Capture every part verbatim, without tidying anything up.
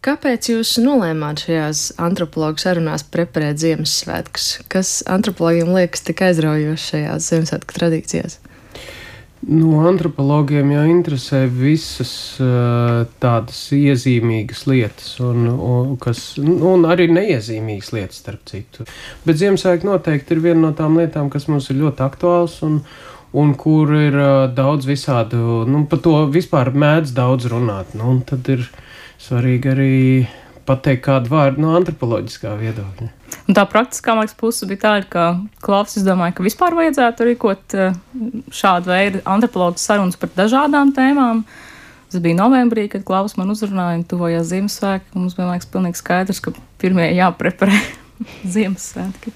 Kāpēc jūs nolēmāt šajās antropologu sarunās preparēt Ziemassvētkus? Kas antropologiem liekas tik aizraujoši šajās Ziemassvētku tradīcijās? Nu, antropologiem jau interesē visas uh, tādas iezīmīgas lietas, un, un, kas, un arī neiezīmīgas lietas, starp citu. Bet Ziemassvētki noteikti ir viena no tām lietām, kas mums ir ļoti aktuāls, un, un kur ir uh, daudz visādu, nu, par to vispār mēdz daudz runāt. Nu, un tad ir svarīgi arī pateikt kādu vārdu no antropoloģiskā viedokļa. Un tā praktiskā, man liekas, puse bija tāda, ka Klaus, es domāju, ka vispār vajadzētu rīkot šādu veidu antropologu sarunas par dažādām tēmām. Tas bija novembrī, kad Klaus man uzrunāja un tuvojās Ziemassvētki. Mums bija, man liekas, pilnīgi skaidrs, ka pirmie jāpreparē Ziemassvētki.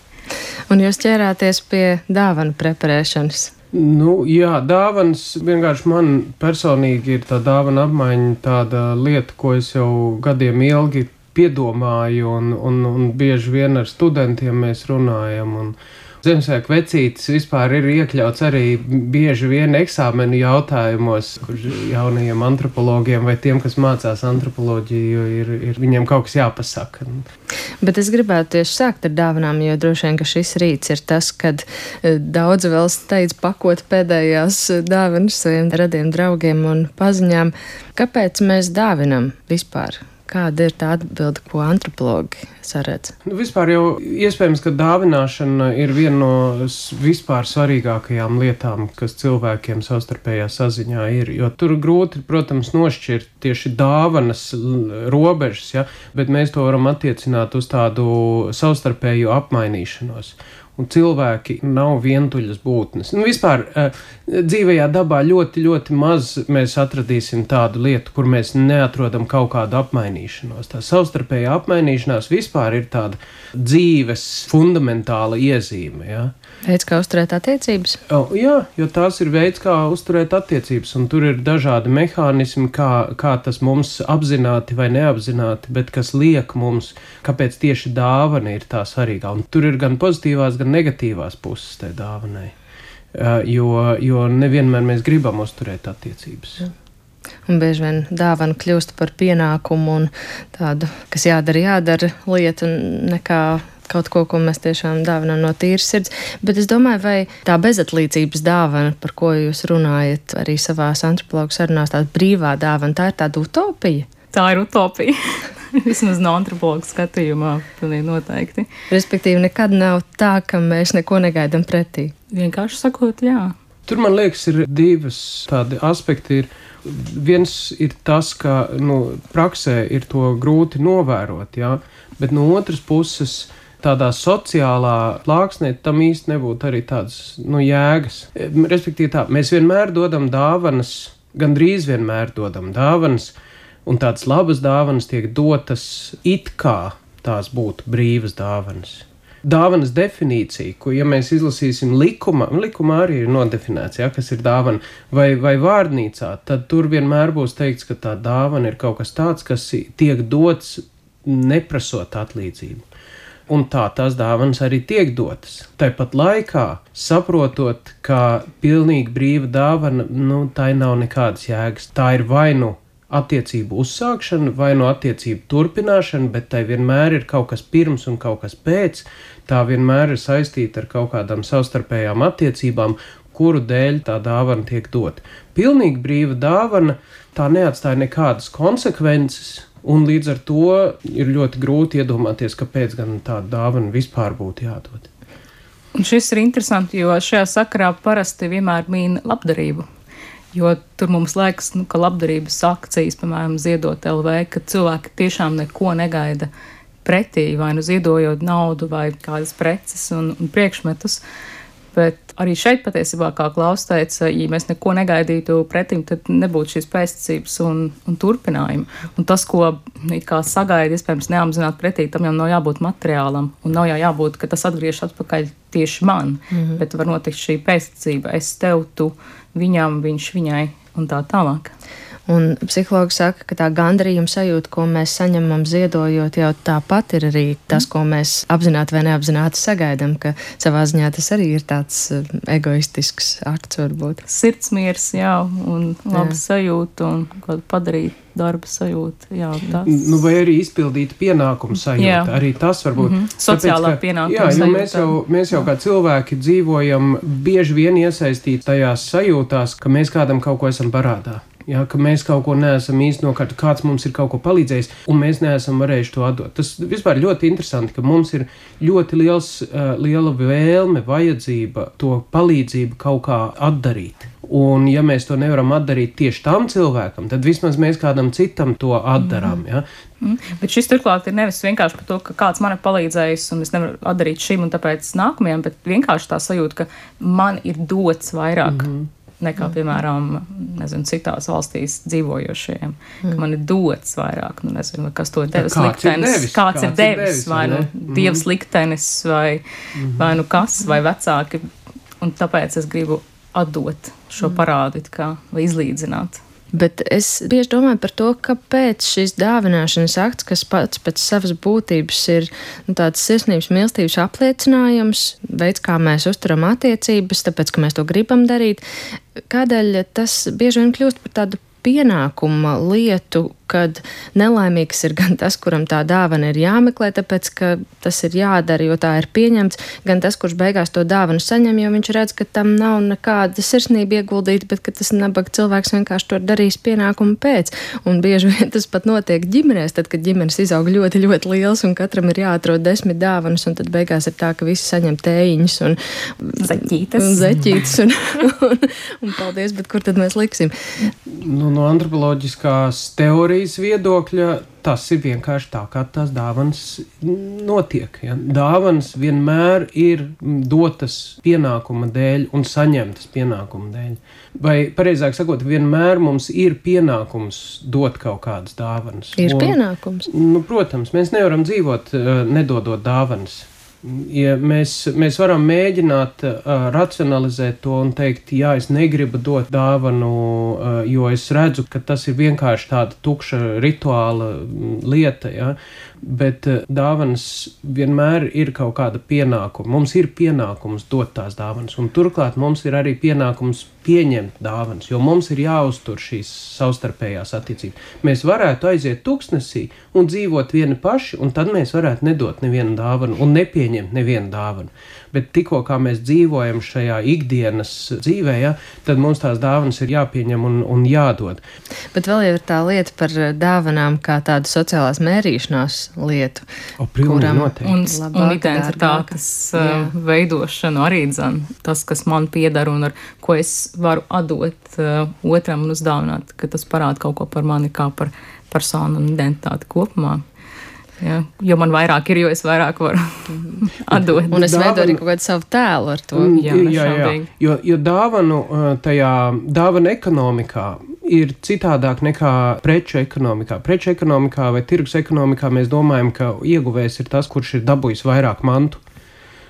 Un jūs ķērāties pie dāvanu preparēšanas? Nu, jā, dāvanas vienkārši man personīgi ir tā dāvana apmaiņa tāda lieta, ko es jau gadiem ilgi piedomāju, un, un, un bieži vien ar studentiem mēs runājam. Un Ziemassvētku vecītis vispār ir iekļauts arī bieži vien eksāmenu jautājumos, kur jaunajiem antropologiem vai tiem, kas mācās antropoloģiju, ir, ir viņiem kaut kas jāpasaka. Bet es gribētu tieši sākt ar dāvanām, jo droši vien, ka šis rīts ir tas, kad daudzi vēl steidz pakot pēdējās dāvanas saviem radiem draugiem un paziņām. Kāpēc mēs dāvinam vispār? Kāda ir tā atbilde, ko antropologi saredz? Nu, vispār jau iespējams, ka dāvināšana ir viena no vispār svarīgākajām lietām, kas cilvēkiem savstarpējā saziņā ir. Jo tur grūti, protams, nošķirt tieši dāvanas robežas, ja? Bet mēs to varam attiecināt uz tādu savstarpēju apmainīšanos. Un cilvēki nav vientuļas būtnes. Nu, vispār dzīvajā dabā ļoti, ļoti maz mēs atradīsim tādu lietu, kur mēs neatrodam kaut kādu apmainīšanos. Tā savstarpējā apmainīšanās vispār ir tāda dzīves fundamentāla iezīme. Ja? Veids, kā uzturēt attiecības? O, jā, jo tās ir veids, kā uzturēt attiecības, un tur ir dažādi mehānismi, kā, kā tas mums apzināti vai neapzināti, bet kas liek mums, kāpēc tieši dāvana ir tā svarīgā. Un tur ir gan pozitīvās, gan negatīvās puses tai dāvanai, jo, jo nevienmēr mēs gribam uzturēt attiecības. Un bieži vien dāvana kļūst par pienākumu un tādu, kas jādara, jādara lietu, nekā kaut ko, ko mēs tiešām dāvinām no tīras sirds. Bet es domāju, vai tā bezatlīdzības dāvana, par ko jūs runājat arī savās antropologu sarunās, tāda brīvā dāvana, tā ir tāda utopija? Tā ir utopija. Vismaz no antropologa skatījumā, pilnīgi noteikti. Respektīvi, nekad nav tā, ka mēs neko negaidam pretī. Vienkārši sakot, jā. Tur, man liekas, ir divas tādi aspekti. Ir, viens ir tas, ka nu, praksē ir to grūti novērot, jā, bet no otras puses tādā sociālā plāksnē tam īsti nebūtu arī tādas nu, jēgas. Respektīvi tā, mēs vienmēr dodam dāvanas, gandrīz vienmēr dodam dāvanas, un tādas labas dāvanas tiek dotas it kā tās būtu brīvas dāvanas. Dāvanas definīcija, ko, ja mēs izlasīsim likumā, likumā arī ir nodefinēts, ja, kas ir dāvana, vai, vai vārdnīcā, tad tur vienmēr būs teikts, ka tā dāvana ir kaut kas tāds, kas tiek dots neprasot atlīdzību. Un tā tās dāvanas arī tiek dotas. Tāpat laikā, saprotot, ka pilnīgi brīva dāvana, nu, tā nav nekādas jēgas. Tā ir vai nu attiecību uzsākšana, vai nu attiecību turpināšana, bet tai vienmēr ir kaut kas pirms un kaut kas pēc. Tā vienmēr ir saistīta ar kaut kādām savstarpējām attiecībām, kuru dēļ tā dāvana tiek dota. Pilnīgi brīva dāvana, tā neatstāja nekādas konsekvences. Un līdz ar to ir ļoti grūti iedomāties, kāpēc gan tāda dāvana vispār būtu jādod. Un šis ir interesanti, jo šajā sakarā parasti vienmēr mīna labdarību. Jo tur mums liekas, nu, ka labdarības akcijas, piemēram, Ziedot L V, ka cilvēki tiešām neko negaida pretī, vai nu ziedojot naudu vai kādas preces un, un priekšmetus. Bet arī šeit patiesībā, kā Klaus teica, ja mēs neko negaidītu pretim, tad nebūtu šīs pēctecības un, un turpinājumi. Un tas, ko it kā sagaida, iespējams neapzināt pretī, tam jau nav jābūt materiālam. Un nav jau jābūt, ka tas atgriežas atpakaļ tieši man. Mm-hmm. Bet var notikt šī pēctecība. Es tev, tu, viņam, viņš, viņai un tā tālāk. Un psihologi saka, ka tā gandarījuma sajūta, ko mēs saņemam ziedojot, jau tāpat ir arī tas, ko mēs apzināti vai neapzināti sagaidām, ka savā ziņā tas arī ir tāds egoistisks akts varbūt. Sirdsmiers, jā, un laba sajūta un kaut padarīt darba sajūta, jā, tas. Nu, vai arī izpildīt pienākumu sajūta, jā. Arī tas varbūt. Mm-hmm. Sociālā Tāpēc, ka, pienākuma jā, sajūta. Jo mēs jau, mēs jau kā cilvēki dzīvojam bieži vien iesaistīti tajās sajūtās, ka mēs kādam kaut ko esam parādā. Jā, ka mēs kaut ko neesam īsti nokārt, kāds mums ir kaut ko palīdzējis, un mēs neesam varējuši to atdot. Tas vispār ļoti interesanti, ka mums ir ļoti liels, uh, liela vēlme, vajadzība to palīdzību kaut kā atdarīt. Un ja mēs to nevaram atdarīt tieši tam cilvēkam, tad vismaz mēs kādam citam to atdarām. Ja? Mm. Bet šis turklāt ir nevis vienkārši par to, ka kāds man ir palīdzējis un es nevaru atdarīt šim un tāpēc nākamajam, bet vienkārši tā sajūta, ka man ir dots vairāk. Mm-hmm. nekā, piemēram, nezinu, citās valstīs dzīvojošiem, mm. ka man ir dots vairāk, nu nezinu, kas to ir devis liktenis, devis, kāds, kāds ir devis, devis vai nu mm. dievs liktenis, vai, mm. vai nu kas, vai vecāki, un tāpēc es gribu atdot šo parādu, kā, vai izlīdzināt. Bet es bieži domāju par to, kāpēc šis dāvināšanas akts, kas pats pēc savas būtības ir nu, tāds sirsnības mīlestības apliecinājums, veids, kā mēs uzturam attiecības, tāpēc, ka mēs to gribam darīt, kādēļ tas bieži vien kļūst par tādu pienākuma lietu, kad nelaimīgs ir gan tas, kuram tā dāvana ir jāmeklē, tāpēc, ka tas ir jādara, jo tā ir pieņemts, gan tas, kurš beigās to dāvanu saņem, jo viņš redz, ka tam nav nekāda sirsnība ieguldīta, bet ka tas nabaga cilvēks vienkārši to darīs pienākumu pēc. Un bieži vien tas pat notiek ģimenēs, tad, kad ģimenes izaug ļoti, ļoti liels un katram ir jāatrod desmit dāvanas, un tad beigās ir tā, ka visi saņem tējiņus un zeķītes, un, zeķītes un, un, un paldies, bet kur tad mēs liksim? Nu, no antropoloģiskās teorijas viedokļa tas ir vienkārši tā, kā tās dāvanas notiek. Ja? Dāvanas vienmēr ir dotas pienākuma dēļ un saņemtas pienākuma dēļ. Vai, pareizāk sakot, vienmēr mums ir pienākums dot kaut kādas dāvanas. Ir un, pienākums? Nu, protams, mēs nevaram dzīvot nedodot dāvanas. Ja mēs, mēs varam mēģināt uh, racionalizēt to un teikt, jā, es negribu dot dāvanu, uh, jo es redzu, ka tas ir vienkārši tāda tukša rituāla lieta, ja? Bet uh, dāvanas vienmēr ir kaut kāda pienākuma. Mums ir pienākums dot tās dāvanas, un turklāt mums ir arī pienākums pieņemt dāvanas, jo mums ir jāuztur šīs savstarpējās attiecības. Mēs varētu aiziet tuksnesī un dzīvot vieni paši, un tad mēs varētu nedot nevienu dāvanu un nepieņemt nevienu dāvanu. Bet tikko kā mēs dzīvojam šajā ikdienas dzīvē, ja, tad mums tās dāvanas ir jāpieņem un, un jādod. Bet vēl jau ir tā lieta par dāvanām kā tādu sociālās mērīšanās lietu. O, kuram noteikti. Un, un identitātes uh, veidošanu arī dzan. Tas, kas man piedara un ar ko es varu atdot uh, otram un uzdāvināt, ka tas parāda kaut ko par mani kā par personu un identitāti kopumā. Ja, jo man vairāk ir, jo es vairāk varu atdot. Un es veidoju arī kaut kādu savu tēlu ar to. Jā, jā, jā. Jo, jo dāvanu tajā dāvana ekonomikā ir citādāk nekā preču ekonomikā. Preču ekonomikā vai tirgus ekonomikā mēs domājam, ka ieguvējs ir tas, kurš ir dabūjis vairāk mantu.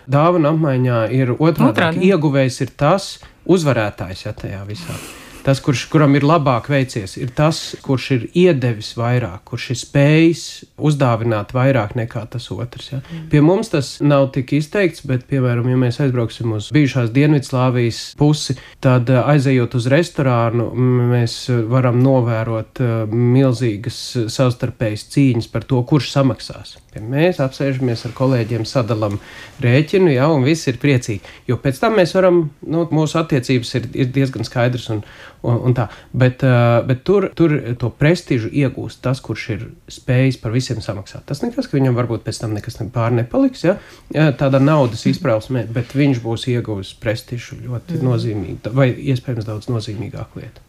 Dāvana apmaiņā ir otrādāk. Ieguvējs ir tas uzvarētājs, ja tajā visā. Tas, kurš, kuram ir labāk veicies, ir tas, kurš ir iedevis vairāk, kurš ir spējis uzdāvināt vairāk nekā tas otrs. Ja? Mm. Pie mums tas nav tik izteikts, bet, piemēram, ja mēs aizbrauksim uz bijušās Dienvidslāvijas pusi, tad aizejot uz restorānu, mēs varam novērot milzīgas savstarpējas cīņas par to, kurš samaksās. Mēs apsēžamies ar kolēģiem, sadalam rēķinu, ja, un viss ir priecīgi. Jo pēc tam mēs varam, nu, mūsu attiecības ir, ir diezgan skaidrs un, un, un tā. Bet, uh, bet tur, tur to prestižu iegūst tas, kurš ir spējis par visiem samaksāt. Tas nekas, ka viņam varbūt pēc tam nekas pār nepaliks, ja, tādā naudas izprausmē, bet viņš būs ieguvis prestižu ļoti mm. nozīmīgi, vai iespējams daudz nozīmīgāku lietu.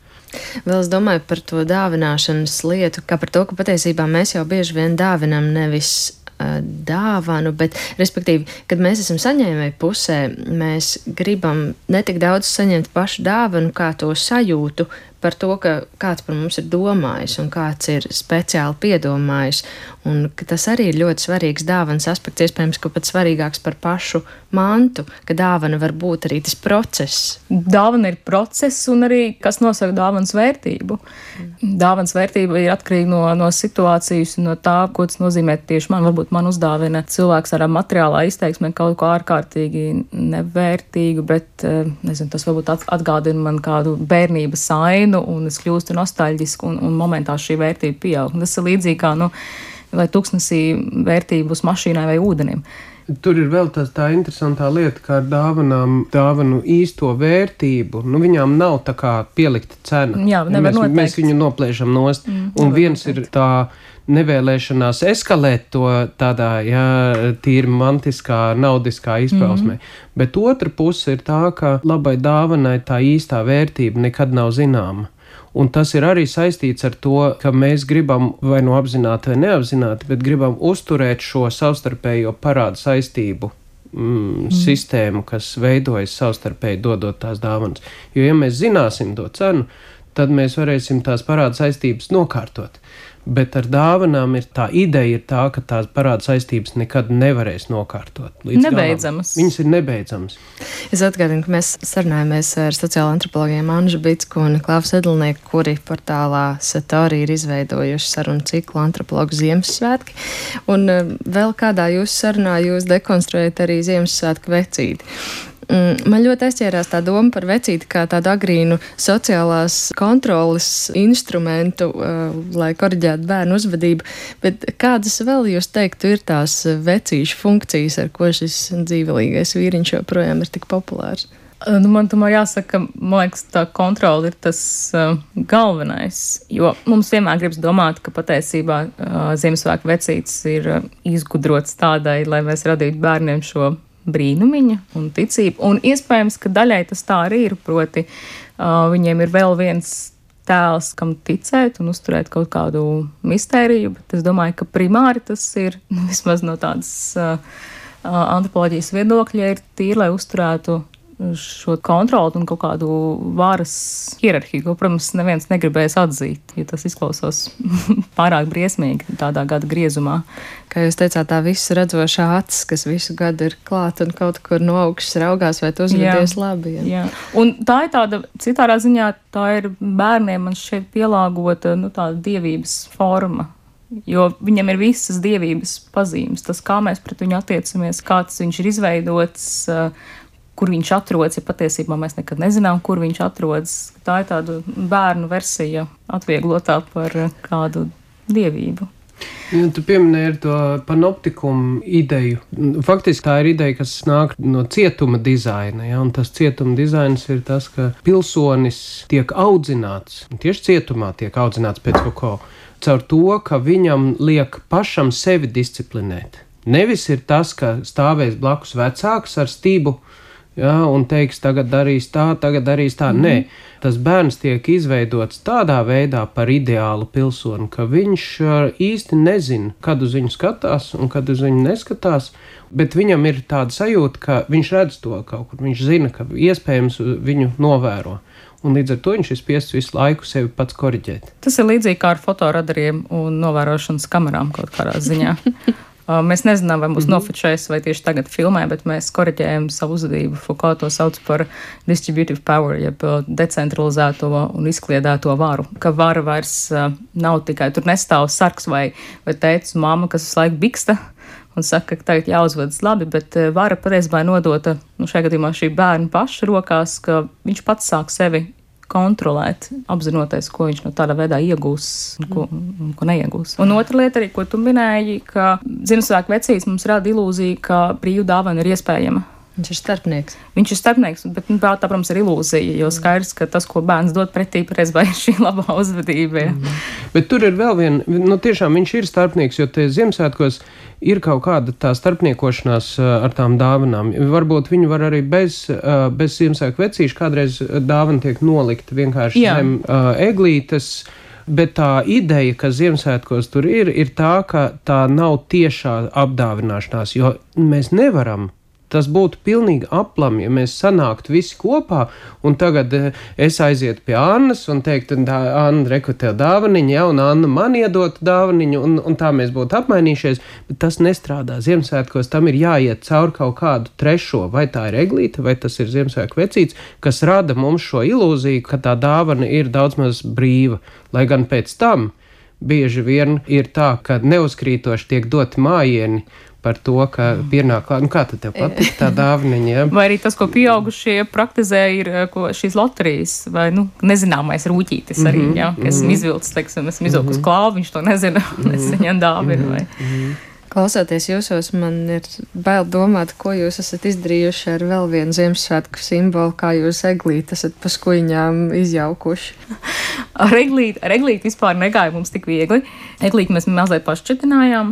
Vēl es domāju par to dāvināšanas lietu, kā par to, ka patiesībā mēs jau bieži vien dāvinam nevis uh, dāvanu, bet, respektīvi, kad mēs esam saņēmēji pusē, mēs gribam ne tik daudz saņemt pašu dāvanu, kā to sajūtu par to, ka kāds par mums ir domājis un kāds ir speciāli piedomājis, un ka tas arī ir ļoti svarīgs dāvanas aspekts, iespējams, ka pat svarīgāks par pašu mantu, ka dāvana var būt arī tas process. Dāvana ir process un arī, kas nosaka dāvanas vērtību. Mm. Dāvanas vērtība ir atkarīga no, no situācijas un no tā, ko tas nozīmē tieši man. Varbūt man uzdāvina cilvēks ar materiālā izteiksmē kaut ko ārkārtīgi nevērtīgu, bet, nezinu, tas varbūt atgādina man kādu bērnības ainu un es kļūstu nostalģisku un, un momentā šī vērtība pieaug. Tas ir līdzīgi kā, nu, vai tuksnesī vērtību uz mašīnai vai ūdenim. Tur ir vēl tā, tā interesantā lieta, kā ar dāvanām, dāvanu īsto vērtību. Nu, viņām nav tā kā pielikta cena. Jā, nevar mēs, noteikt. Mēs viņu noplēšam nost. Mm, un viens noteikt. Ir tā nevēlēšanās eskalēt to tādā, jā, tīri mantiskā, naudiskā izpausmē. Mm. Bet otra puse ir tā, ka labai dāvanai tā īstā vērtība nekad nav zināma. Un tas ir arī saistīts ar to, ka mēs gribam vai nu apzināti vai neapzināti, bet gribam uzturēt šo savstarpējo parādu saistību mm, mm. sistēmu, kas veidojas savstarpēji dodot tās dāvanas. Jo, ja mēs zināsim to cenu, tad mēs varēsim tās parādu saistības nokārtot. Bet ar dāvanām ir tā ideja ir tā, ka tās parāda saistības nekad nevarēs nokārtot. Nebeidzamas. Viņas ir nebeidzamas. Es atgādinu, ka mēs sarunājamies ar sociālo antropologiem Anžu Bicku un Klāvu Sedlnieku, kuri portālā Satori ir izveidojuši sarunu ciklu Antropologu Ziemassvētki. Un vēl kādā jūsu sarunā jūs dekonstruējat arī Ziemassvētku vecīti. Man ļoti aizķērās tā doma par vecīti kā tādu agrīnu sociālās kontroles instrumentu, uh, lai koriģētu bērnu uzvedību, bet kādas vēl jūs teiktu ir tās vecīšu funkcijas, ar ko šis dzīvelīgais vīriņš joprojām ir tik populārs? Nu, man tomēr jāsaka, man liekas, tā kontrola ir tas uh, galvenais, jo mums vienmēr gribas domāt, ka patiesībā uh, Ziemassvētku vecītis ir uh, izgudrots tādai, lai mēs radītu bērniem šo brīnumiņa un ticība. Un iespējams, ka daļai tas tā arī ir, proti uh, viņiem ir vēl viens tēls, kam ticēt un uzturēt kaut kādu mistēriju, bet es domāju, ka primāri tas ir, vismaz no tādas uh, antropoloģijas viedokļa, ir tīri, lai uzturētu šo kontroli un kaut kādu varas hierarhiju, ko, protams, neviens negribēs atzīt, jo tas izklausās pārāk briesmīgi tādā gada griezumā. Kā jūs teicāt, tā visu redzošā acis, kas visu gadu ir klāt un kaut kur no augšas raugās, vai tu uzvedies labi. Ja? Jā, un tā ir tāda, citārā ziņā, tā ir bērniem man šeit pielāgota, nu, tāda dievības forma. Jo viņam ir visas dievības pazīmes, tas, kā mēs pret viņu attiecamies, kāds viņš ir izveidots, kur viņš atrodas, ja patiesībā mēs nekad nezinām, kur viņš atrodas. Tā ir tāda bērnu versija atvieglotā par kādu dievību. Ja, tu pieminēji to panoptikumu ideju. Faktiski tā ir ideja, kas nāk no cietuma dizaina. Ja? Un tas cietuma dizains ir tas, ka pilsonis tiek audzināts, tieši cietumā tiek audzināts pēc kaut ko, caur to, ka viņam liek pašam sevi disciplinēt. Nevis ir tas, ka stāvēs blakus vecāks ar stību, ja, un teiks, tagad darīs tā, tagad darīs tā. Mm. Nē, tas bērns tiek izveidots tādā veidā par ideālu pilsoni, ka viņš īsti nezina, kad uz viņu skatās un kad uz viņu neskatās, bet viņam ir tāda sajūta, ka viņš redz to kaut kur, viņš zina, ka iespējams viņu novēro. Un līdz ar to viņš ir spiests visu laiku sevi pats koriģēt. Tas ir līdzīgi kā ar fotoradariem un novērošanas kamerām kaut kādā ziņā. Mēs nezinām, vai mūs mm-hmm. nofočēs, vai tieši tagad filmē, bet mēs koriģējam savu uzvedību. Foucault to sauc par distributive power, jeb decentralizēto un izkliedēto varu. Ka vara vairs nav tikai, tur nestāv sarks vai, vai tētis un mamma, kas visu laiku biksta un saka, ka tagad jāuzvedas labi, bet vara patiesībā nodota, nu šajā gadījumā šī bērna paša rokās, ka viņš pats sāk sevi kontrolēt, apzinoties, ko viņš no tādā veidā iegūs un ko, un ko neiegūs. Un otra lieta arī, ko tu minēji, ka Ziemassvētku vecītis mums rada ilūziju, ka brīvu dāvana ir iespējama. Viņš ir starpnieks. Viņš ir starpnieks, bet, nu, tā, protams, ir ilūzija, jo skaidrs, ka tas, ko bērns dod pretī, patiesībā ir šī labā uzvedība. Mm. Bet tur ir vēl viena, nu tiešām viņš ir starpnieks, jo te Ziemassvētkos ir kaut kāda tā starpniekošanās ar tām dāvanām. Varbūt viņi var arī bez, bez Ziemassvētku vecīša kādreiz dāvana tiek nolikta vienkārši Jā. zem uh, eglītes. Bet tā ideja, ka Ziemassvētkos tur ir, ir tā, ka tā nav tiešā apdāvināšanās, jo mēs nevaram tas būtu pilnīgi aplam, ja mēs sanāktu visi kopā, un tagad es aizietu pie Annas un teiktu, Anna, reku tev dāvaniņu, ja, un Anna man iedotu dāvaniņu, un, un tā mēs būtu apmainījušies, bet tas nestrādā. Ziemassvētkos tam ir jāiet cauri kaut kādu trešo, vai tā ir eglīte, vai tas ir Ziemassvētku vecīts, kas rada mums šo ilūziju, ka tā dāvana ir daudz maz brīva, lai gan pēc tam bieži vien ir tā, ka neuzkrītoši tiek doti mājieni par to, ka pienāk klāt. Nu, kā tad tev patīk tā dāvaniņa? Ja? Vai arī tas, ko pieaugušie praktizē, ir ko šīs loterijas vai, nu, nezināmais rūķītis arī, mm -hmm, ja? Ka esmu izvilcis, teiksim, esmu izvilkus mm -hmm. klāvu, viņš to nezina, mm -hmm. es viņam dāvinu, vai... Mm -hmm. Klausoties jūsos, man ir bail domāt, ko jūs esat izdarījuši ar vēl vienu Ziemassvētku simbolu, kā jūs eglīti esat pa skuiņām izjaukuši. Ar eglīti, ar eglīti vispār negāja mums tik viegli. Eglīti mēs mazliet pašķetinājām.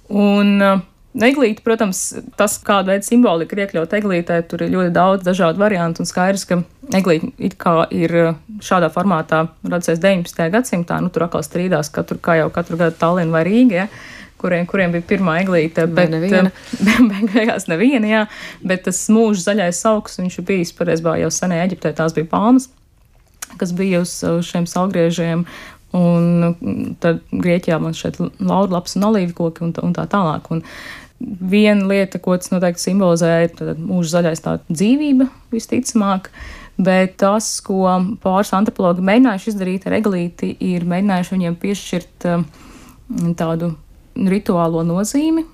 Un uh, eglīti, protams, tas, kāda veida simbolika ir iekļaut eglītē, tur ir ļoti daudz dažādu variantu un skaidrs, ka eglīti it kā ir šādā formātā radusies deviņpadsmitajā gadsimtā. Nu, tur atkal strīdās, katru, kā jau katru gadu Tallina vai Rīga, ja? kuriem, kuriem bija pirmā eglīte, bet neviena. Beigās neviena, jā, bet tas mūža zaļais augs, viņš ir bijis, pareizībā jau senajā Eģiptē, tās bija palmas, kas bija uz šiem salgriežiem, un tad Grieķijā man šeit laurlaps un olīvkoki un, un tā tālāk. Un viena lieta, ko tas noteikti simbolizē, ir tad mūža zaļais tā dzīvība, visticamāk, bet tas, ko pāris antropologi mēģinājuši izdarīt ar eglīti, ir mēģinājuši viņiem piešķirt tādu rituālo nozīmi,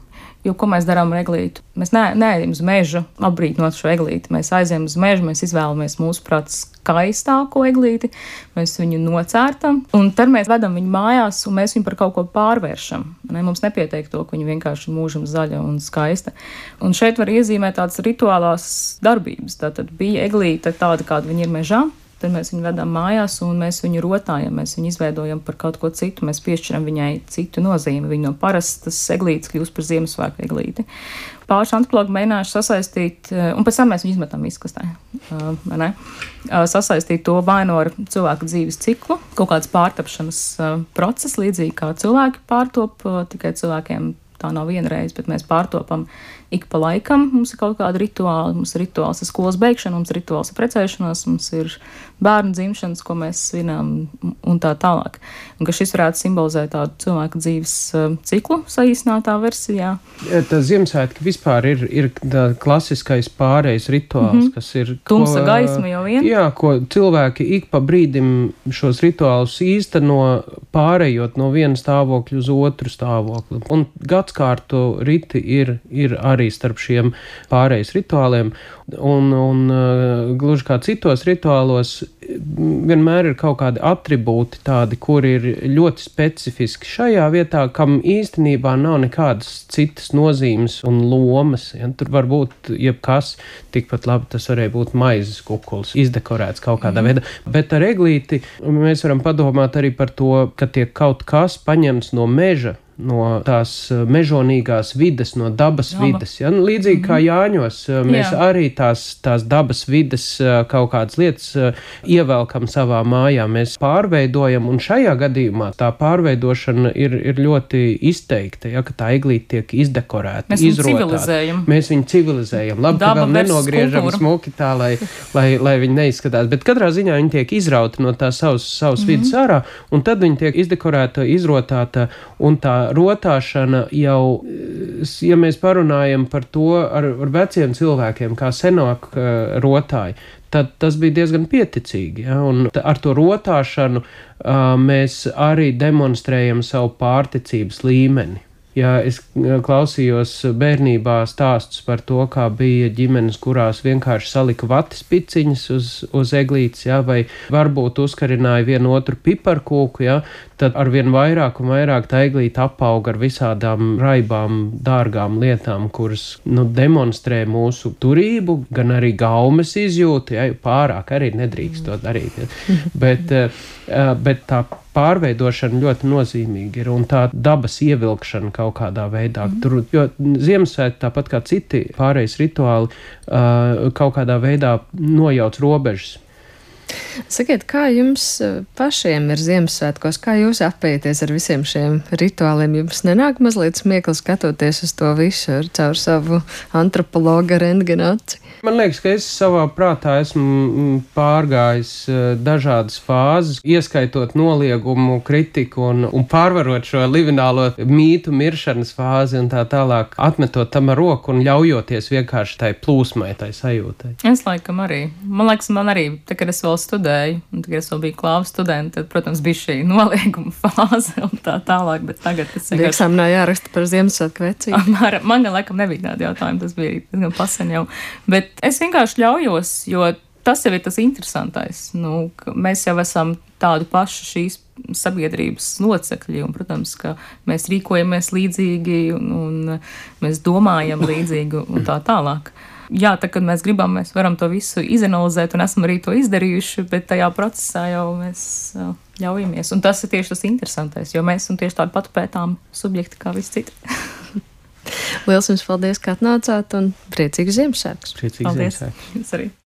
jo ko mēs darām ar eglīti? Mēs ne, neejam uz mežu apbrīnot šo eglīti, mēs aizējam uz mežu, mēs izvēlamies mūsu prāt skaistāko eglīti, mēs viņu nocērtam, un tad mēs vedam viņu mājās, un mēs viņu par kaut ko pārvēršam. Ne? Mums nepietiek to, ka viņa vienkārši mūžam zaļa un skaista. Un šeit var iezīmēt tādas rituālās darbības. Tātad bija eglīte tāda, kāda viņa ir mežā, tad mēs viņu vedam mājās un mēs viņu rotājam, mēs viņu izveidojam par kaut ko citu, mēs piešķiram viņai citu nozīmi. Viņa no parastas eglītes kļūst par Ziemassvētku eglīti. Pāris antropologi mēģinājuši sasaistīt, un pēc tam mēs viņu izmetam izkastē, vai ne? Sasaistīt to vai no ar cilvēku dzīves ciklu, kaut kāds pārtapšanas process, līdzīgi kā cilvēki pārtop, tikai cilvēkiem tā nav vienreiz, bet mēs pārtopam ik pa laikam. Mums ir kaut kāda rituāla, mums ir rituāls ar skolas beigšanu, mums ir rituāls ar precēšanos, mums ir bērnu dzimšanas, ko mēs svinām un tā tālāk. Un ka šis varētu simbolizēt tādu cilvēku dzīves ciklu saīsinātā versijā. Tā Ziemassvētki vispār ir, ir tā klasiskais pārejas rituāls, mm -hmm. kas ir... Tumsa ko, gaisma jau vien. Jā, ko cilvēki ik pa brīdim šos rituālus īsteno, pārējot no viena stāvokļa uz otru stāvokli. Un gadskārtu riti ir, ir arī starp šiem pārejas rituāliem, un, un uh, gluži kā citos rituālos vienmēr ir kaut kādi atribūti tādi, kuri ir ļoti specifiski šajā vietā, kam īstenībā nav nekādas citas nozīmes un lomas. Ja? Tur var būt jebkas, tikpat labi tas varēja būt maizes kukuls, izdekorēts kaut kādā mm. veidā, bet ar eglīti mēs varam padomāt arī par to, ka tiek kaut kas paņemts no meža, no tās mežonīgās vides, no dabas Daba. vides. Ja? Līdzīgi mm-hmm. kā Jāņos, mēs Jā. arī tās, tās dabas vides kaut kādas lietas ievelkam savā mājā, mēs pārveidojam, un šajā gadījumā tā pārveidošana ir, ir ļoti izteikta, ja? Ka tā eglīte tiek izdekorēta, mēs izrotāta. Viņu civilizējam. Mēs viņu civilizējam. Labi, Daba ka vēl nenogriežam kultūra. Smuki tā, lai, lai, lai viņi neizskatās, bet katrā ziņā viņi tiek izrauti no tās savas, savas mm-hmm. vides ārā, un tad viņi tiek izdekorēta, izrotāta, un tā rotāšana jau, ja mēs parunājam par to ar, ar veciem cilvēkiem, kā senāk uh, rotāji, tad tas bija diezgan pieticīgi. Ja? Un ar to rotāšanu uh, mēs arī demonstrējam savu pārticības līmeni. Ja es klausījos bērnībā stāstus par to, kā bija ģimenes, kurās vienkārši salika vatis piciņas uz, uz eglītes, ja, vai varbūt uzkarināja vienu otru piparkūku, ja, tad arvien vairāk un vairāk tā eglīte apauga ar visādām raibām, dārgām lietām, kuras nu, demonstrē mūsu turību, gan arī gaumes izjūtu, ja, pārāk arī nedrīkst to darīt. Ja. Bet, bet tā pārveidošana ļoti nozīmīga ir, un tā dabas ievilkšana kaut kādā veidā. Mm. Tur, jo Ziemassvētki, tāpat kā citi pārējais rituāli, uh, kaut kādā veidā nojauc robežas. Sakiet, kā jums pašiem ir Ziemassvētkos, kā jūs apēties ar visiem šiem rituāliem? Jums nenāk mazliet smiekli skatoties uz to visu ar caur savu antropologa rentgena aci? Man liekas, ka es savā prātā esmu pārgājis dažādas fāzes, ieskaitot noliegumu, kritiku un, un pārvarot šo livinālo mītu miršanas fāzi un tā tālāk, atmetot tam ar roku un ļaujoties vienkārši tai plūsmai, tai sajūtai. Es laikam arī. Man liekas, man arī, tā, kad es vēl studēju, un tagad es vēl biju klāvu studenti, tad, protams, bija šī nolieguma fāze un tā tālāk, bet tagad es vienkārši... Eksāmenā jāraksta par Ziemassvētku vecību. Man, man gan laikam nebija tādi jautājumi, tas bija diezgan pasen jau. Bet es vienkārši ļaujos, jo tas jau ir tas interesantais. Nu, mēs jau esam tādu pašu šīs sabiedrības locekļi, un, protams, ka mēs rīkojamies līdzīgi, un, un mēs domājam līdzīgi, un tā tālāk. Jā, tā, kad mēs gribam, mēs varam to visu izanalizēt, un esam arī to izdarījuši, bet tajā procesā jau mēs ļaujamies. Un tas ir tieši tas interesantais, jo mēs esam tieši tādi pat pētām subjekti kā visi citi. Liels jums paldies, ka atnācāt, un priecīgus Ziemassvētkus. Priecīgus Ziemassvētkus. Paldies. Jūs arī.